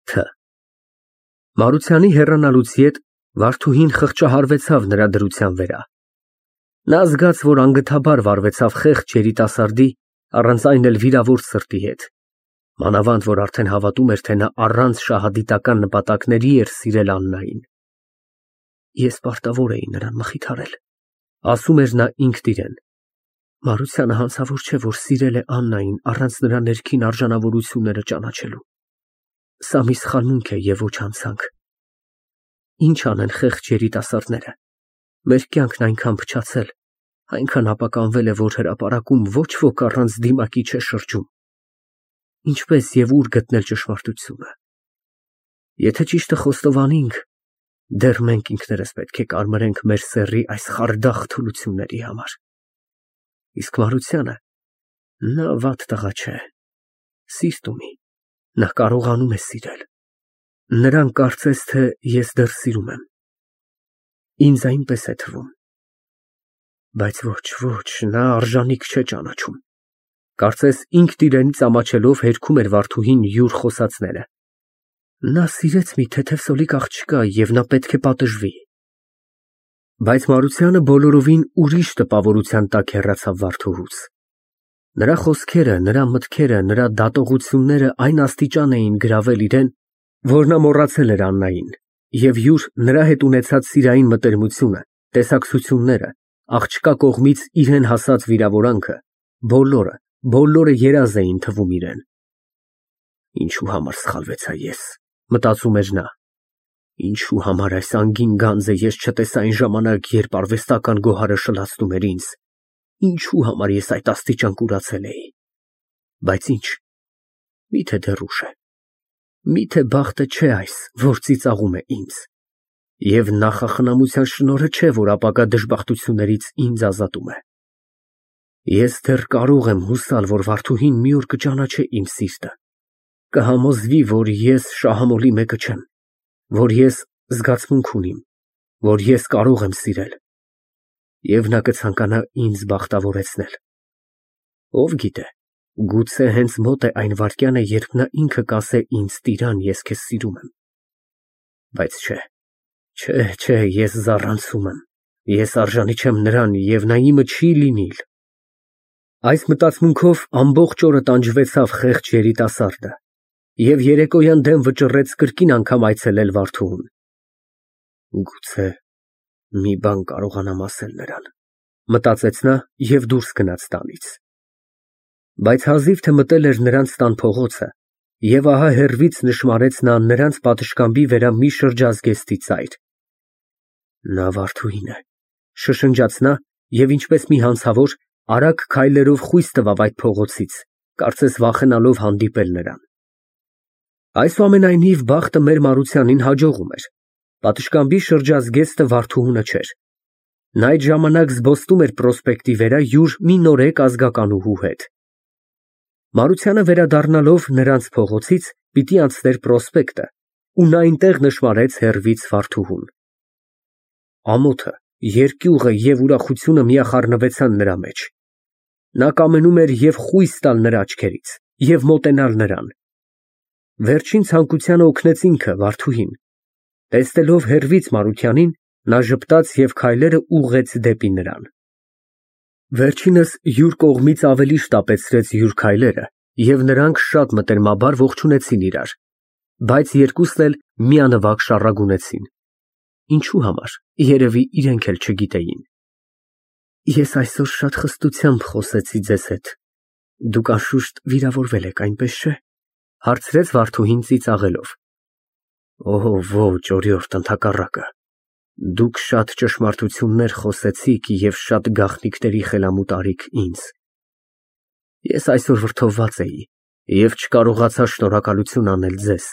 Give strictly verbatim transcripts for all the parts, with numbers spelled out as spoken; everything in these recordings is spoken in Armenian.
Თ Մարությանի հեռանալուց ետ Վարդուհին խղճահարվեցավ նրա դրության վրա։ Նա զգաց, որ անգթաբար վարվեցավ խեղճ երիտասարդի, առանց այն էլ վիրավոր սրտի հետ, մանավանդ որ արդեն հավատում էր, թե նա առանց շահադիտական նպատակների էր սիրել Աննային։ Ես պարտավոր էի նրան մխիթարել, ասում էր նա ինքն իրեն։ Մարությանը հանցավոր չէ, որ սիրել է Աննային առանց նրա ներքին արժանավորությունները ճանաչելու։ Սա մի սխալմունք է և ոչ հանցանք։ Ինչ անեն խեղճ երիտասարդները։ Մեր կյանքն այնքան փչացել, այնքան ապականվել է, որ հրապարակում ոչ ոք առանց դիմակի չէ շրջում։ Ինչպես և ուր գտնել ճշմարտությունը։ Եթե ճիշտը խոստովանենք, դեռ մենք ինքներս պետք է կարմրենք մեր սեռի այս խարդախ թուլությունների համար։ Իսկ Մարությանը, նա վատ տղա չէ, սիրտ ունի, նա կարողանում է սիրել։ Նրան կարծես, թե ես դեռ սիրում եմ։ Ինձ այնպես է թվում։ Բայց ոչ, ոչ, նա արժանիք չէ ճանաչում։ Կարծես ինքն իրենից ամաչելով հերքում էր Վարդուհին յուր խոսածները։ Նա սիրեց մի թեթև սոլիկ աղջկա և նա պետք է պատժվի։ Բայց Մարությանը բոլորովին ուրիշ տպավորության տակ հեռացավ Վարդուհուց։ Նրա խոսքերը, նրա մտքերը, նրա դատողությունները այն աստիճան էին գրավել իրեն, որ նա մոռացել էր Աննային և յուր նրա հետ ունեցած սիրային մտերմությունը, տեսակցությունները, աղջկա կողմից իրան հասած վիրավորանքը, բոլորը, բոլորը երազ էին թվում իրան։ Ինչու համար սխալվեցա ես, մտածում էր նա։ Ինչու համար այս անգին գանձը ես չտեսա այն ժամանակ, երբ արվեստական գոհարը շլացնում էր ինձ։ Ինչու համար ես այդ աստիճան կուրացել էի։ Բայց ինչ, միթե դեռ ուշ է։ Միթե բախտը չէ այս, որ ծիծաղում է ինձ։ Եվ նախախնամության շնորհը չէ, որ ապագա դժբախտություններից ինձ ազատում է։ Ես դեռ կարող եմ հուսալ, որ Վարդուհին մի օր կճանաչե իմ սիրտը, կհամոզվի, որ ես շահամոլի մեկը չեմ, որ ես զգացմունք ունիմ, որ ես կարող եմ սիրել, և նա կցանկանա ինձ բախտավորեցնել։ Ով գիտե, գուցե հենց մոտ է այն վայրկյանը, երբ նա ինքը կասե ինձ. «Տիրան, ես քեզ սիրում եմ»։ Բայց չէ, չէ, չէ, ես զառանցում եմ, ես արժանի չեմ նրան և նա իմը չի լինիլ։ Այս մտածմունքով ամբողջ օրը տանջվեցավ խեղճ երիտասարդը և երեկոյան դեմ վճռեց կրկին անգամ այցելել Վարդուհուն։ Գուցե մի բան կարողանամ ասել նրան, մտածեց նա և դուրս գնաց տանից։ Բայց հազիվ թե մտել էր նրանց տան փողոցը, և ահա հեռվից նշմարեց նա նրանց պատշգամբի վրա մի շրջազգեստի ծայր։ Նա Վարդուհին է, շշնջաց նա և ինչպես մի հանցավոր արագ քայլերով խույս տվավ այդ փողոցից, կարծես վախենալով հանդիպել նրան։ Այսուամենայնիվ բախտը մեր Մարությանին հաջողում էր։ Պատշգամբի շրջազգեստը Վարդուհունը չէր։ Նա այդ ժամանակ զբոսնում էր Պրոսպեկտի վրա յուր մի նորեկ ազգականուհու հետ։ Մարությանը վերադառնալով նրանց փողոցից պիտի անցներ Պրոսպեկտը, ու նա այնտեղ նշմարեց հեռվից Վարդուհուն։ Ամոթը, երկյուղը և ուրախությունը միախառնվեցան նրա մեջ։ Նա կամենում էր և խույս տալ նրա աչքերից, և մոտենալ նրան։ Վերջին ցանկությանը օգնեց ինքը, Վարդուհին։ Տեսնելով հեռվից Մարությանին, նա ժպտաց և քայլերը ուղղեց դեպի նրան։ Վերջինս յուր կողմից ավելի շտապեցրեց յուր քայլերը, և նրանք շատ մտերմաբար ողջունեցին իրար, բայց երկուսն էլ միանվագ շառագունեցին։ Ինչու համար, երևի իրենք էլ չգիտեին։ Ես այսօր շատ խստությամբ խոսեցի ձեզ հետ։ Դուք անշուշտ վիրավորվել եք, այնպես չէ՞, հարցրեց Վարդուհին ծիծաղելով։ Օհ, ոչ, օրիորդ, ընդհակառակը։ Դուք շատ ճշմարտություններ խոսեցիք և շատ գաղտնիքների խելամուտ արիք ինձ։ Ես այսօր վրդովված էի և չկարողացա շնորհակալություն անել ձեզ։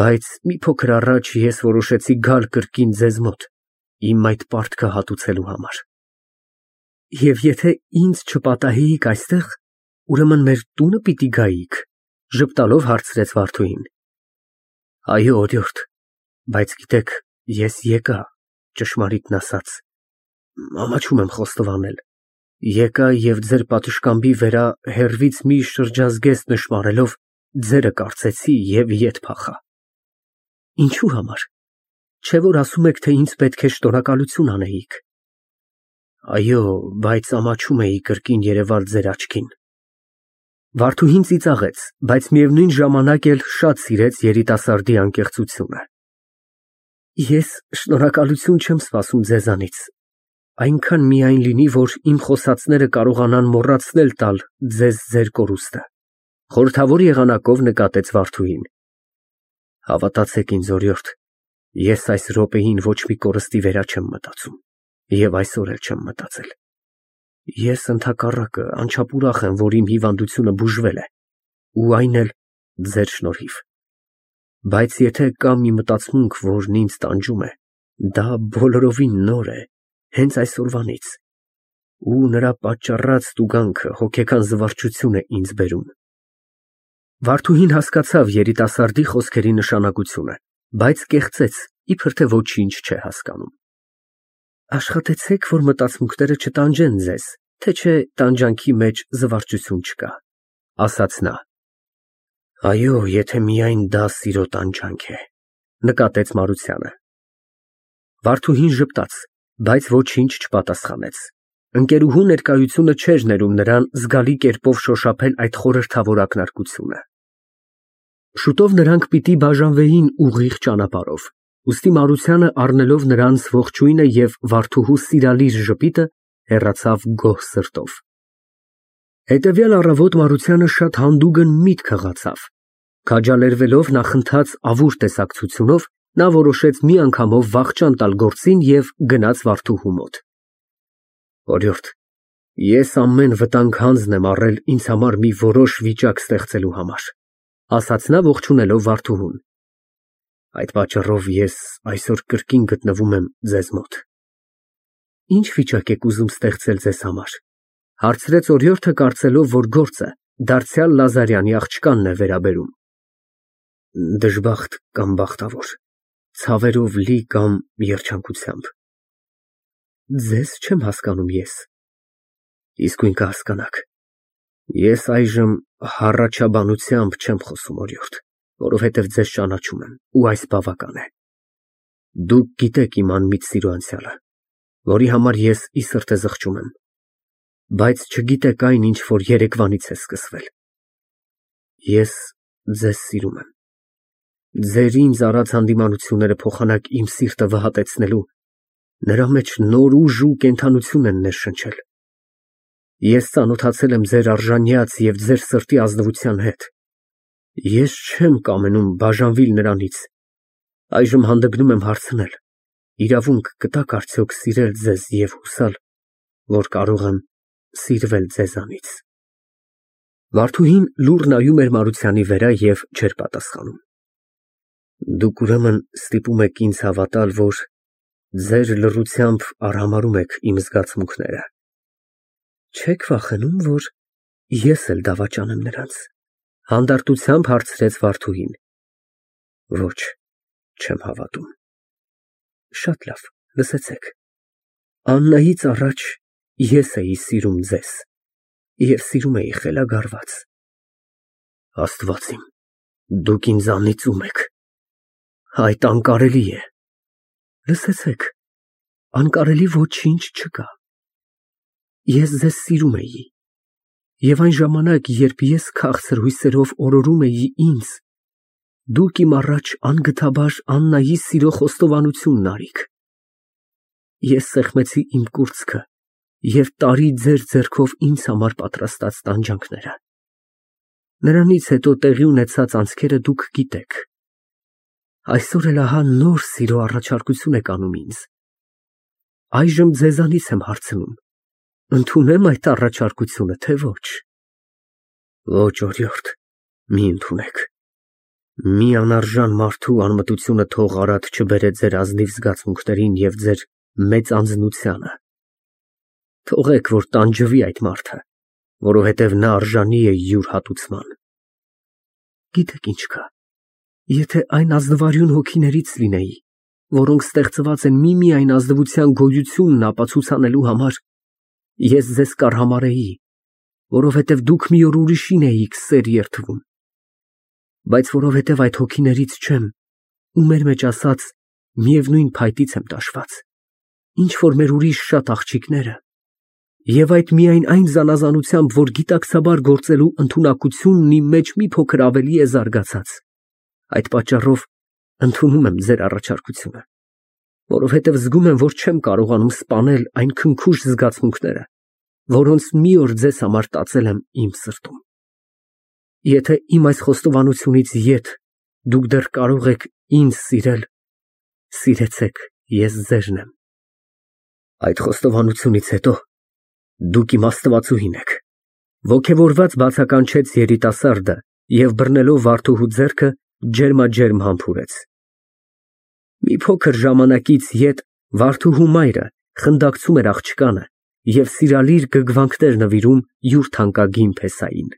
Բայց մի փոքր առաջ ես որոշեցի գալ կրկին ձեզ մոտ, իմ այդ պարտքը հատուցելու համար։ Եվ եթե ինձ չպատահեիք այստեղ, ուրեմն մեր տունը պիտի գայիք, ժպտալով հարցրեց Վարդուհին։ Այո, օրիորդ, բայց գիտեք, ես եկա, ճշմարիտն ասած, ամաչում եմ խոստովանել, եկա և ձեր պատշգամբի վրա հեռվից մի շրջազգեստ նշմարելով, ձերը կարծեցի և ետ փախա։ Ինչու համար։ Չէ՞ որ ասում եք, թե ինձ պետք է շնորհակալություն անեիք։ Այո, բայց ամաչում էի կրկին երևալ ձեր աչքին։ Վարդուհին ծիծաղեց, բայց միևնույն ժամանակ էլ շատ սիրեց երիտասարդի անկեղծությունը։ Ես շնորհակալություն չեմ սպասում ձեզանից, այնքան միայն լինի, որ իմ խոսածները կարողանան մոռացնել տալ ձեզ ձեր կորուստը, խորհրդավոր եղանակով նկատեց Վարդուհին։ Հավատացեք ինձ, օրիորդ, ես այս րոպեին ոչ մի կորստի վերա չեմ մտածում և այսօր էլ չեմ մտածել։ Ես ընդհակառակը անչափ ուրախ եմ, որ իմ հիվանդությունը բուժվել է, ու այն էլ ձեր շնորհիվ։ Բայց եթե կա մի մտածմունք, որն ինձ տանջում է, դա բոլորովին նոր է, հենց այսօրվանից, ու նրա պատճառած տուգանքը հոգեկան զվարճություն է ինձ բերում։ Վարդուհին հասկացավ երիտասարդի խոսքերի նշանակությունը, բայց կեղծեց, իբր թե ոչինչ չէ հասկանում։ Աշխատեցեք, որ մտածմունքները չտանջեն ձեզ, թե չէ տանջանքի մեջ զվարճություն չկա, ասաց նա։ Այո, եթե միայն դա սիրո տանջանք է, նկատեց Մարությանը։ Վարդուհին ժպտաց, բայց ոչինչ չպատասխանեց։ Ընկերուհու ներկայությունը չէր ներում նրան զգալի կերպով շոշափել այդ խորհրդավոր ակնարկությունը։ Շուտով նրանք պիտի բաժանվեին ուղիղ ճանապարհով, ուստի Մարությանը, առնելով նրանց ողջույնը և Վարդուհու սիրալիր ժպիտը, հեռացավ գոհ սրտով։ Հետևյալ առավոտ Մարությանը շատ հանդուգն միտք հղացավ։ Քաջալերվելով նախընթաց ավուր տեսակցությունով, նա որոշեց մի անգամով վախճան տալ գործին և գնաց Վարդուհու մոտ։ Օրիորդ, ես ամեն վտանգ հանձն եմ առել ինձ համար մի որոշ վիճակ ստեղծելու համար, ասաց նա ողջունելով Վարդուհուն։ Այդ պատճառով ես այսօր կրկին գտնվում եմ ձեզ մոտ։ Ինչ վիճակ եք ուզում ստեղծել ձեզ համար, հարցրեց օրիորդը, կարծելով, որ գործը դարձյալ Լազարյանի աղջկանն է վերաբերում։ Դժբախտ կամ բախտավոր, ցավերով լի կամ երջանկությամբ։ Ձեզ չեմ հասկանում ես։ Իսկույն կհասկանաք։ Ես այժմ հառաչաբանությամբ չեմ խոսում, օրիորդ, որովհետև ձեզ ճանաչում եմ, ու այս բավական է։ Դուք գիտեք իմ անմիտ սիրո անցյալը, որի համար ես ի սրտե զղջում եմ, բայց չգիտեք այն, ինչ որ երեկվանից է սկսվել։ Ես ձեզ սիրում եմ։ Ձեր ինձ արած հանդիմանությունները փոխանակ իմ սիրտը վհատեցնելու, նրա մեջ նոր ուժ ու կենդանություն են ներշնչել։ Ես ծանոթացել եմ ձեր արժանյաց և ձեր սրտի ազնվության հետ։ Ես չեմ կամենում բաժանվել նրանից, այժմ հանդգնում եմ հարցնել, իրավունք կտաք արդյոք սիրել ձեզ և հուսալ, որ կարող եմ սիրվել ձեզանից։ Վարդուհին լուռ նայում էր Մարությանի վրա և չէր պատասխանում։ Դուք ուրեմն ստիպում եք ինձ հավատալ, որ ձեր լռությամբ արհամարհում եք իմ զգացմունքները։ Չեք վախենում, որ ես էլ դավաճանեմ նրանց, հանդարտությամբ հարցրեց Վարդուհին։ Ոչ, չեմ հավատում։ Շատ լավ, լսեցեք։ Աննայից առաջ ես էի սիրում ձեզ և սիրում էի խելագարված։ Աստված իմ, դուք ինձ անիծում եք։ Այդ անկարելի է։ Լսեցեք, անկարելի ոչինչ չկա։ Ես ձեզ սիրում էի, և այն ժամանակ, երբ ես քաղցր հույսերով օրորում էի ինձ, դուք իմ առաջ անգթաբար Աննայի սիրո խոստովանությունն արիք։ Ես սեղմեցի իմ կուրծքը և տարի ձեր ձեռքով ինձ համար պատրաստած տանջանքները։ Նրանից հետո տեղի ունեցած անցքերը դուք գիտեք։ Այսօր էլ ահա նոր սիրո առաջարկություն եք անում ինձ։ Այժմ ձեզանից եմ հարցնում. ընդունե՞մ այդ առաջարկությունը, թե ոչ։ Ոչ, օրիորդ, մի ընդունեք։ Մի անարժան մարդու անմտությունը թող արատ չբերե ձեր ազնիվ զգացմունքներին և ձեր մեծ անձնությանը։ Թողեք, որ տանջվի այդ մարդը, որովհետև նա արժանի է յուր հատուցման։ Գիտեք ինչ կա, եթե այն ազնվարյուն հոգիներից լինեի, որոնք ստեղծված են միմիայն ազնվության գոյությունն ապացուցանելու համար, ես ձեզ կարհամարհեի, որովհետև դուք մի օր ուրիշին էիք սեր երդվում։ բայց որովհետև այդ հոգիներից չեմ ու մեր մեջ ասած միևնույն փայտից եմ տաշված, ինչ որ մեր ուրիշ շատ աղջիկները, և այդ միայն այն զանազանությամբ, որ գիտակցաբար գործելու ընդունակությունն իմ մեջ մի փոքր ավելի է զարգացած, այդ պատճառով ընդունում եմ ձեր առաջարկությունը, որովհետև զգում եմ, որ չեմ կարողանում սպանել այն քնքուշ զգացմունքները, որոնց մի օր ձեզ համար տածել եմ իմ սրտում։ Եթե իմ այս խոստովանությունից ետ դուք դեռ կարող եք ինձ սիրել, սիրեցեք, ես ձերն եմ։ Այդ խոստովանությունից հետո դուք իմ աստվածուհին եք, ոգևորված բացականչեց երիտասարդը և բռնելով Վարդուհու ձեռքը ջերմաջերմ համբուրեց։ Մի փոքր ժամանակից ետ Վարդուհու մայրը խնդակցում էր աղջկանը և սիրալիր գրգռվանքներ նվիրում յուր թանկագին փեսային։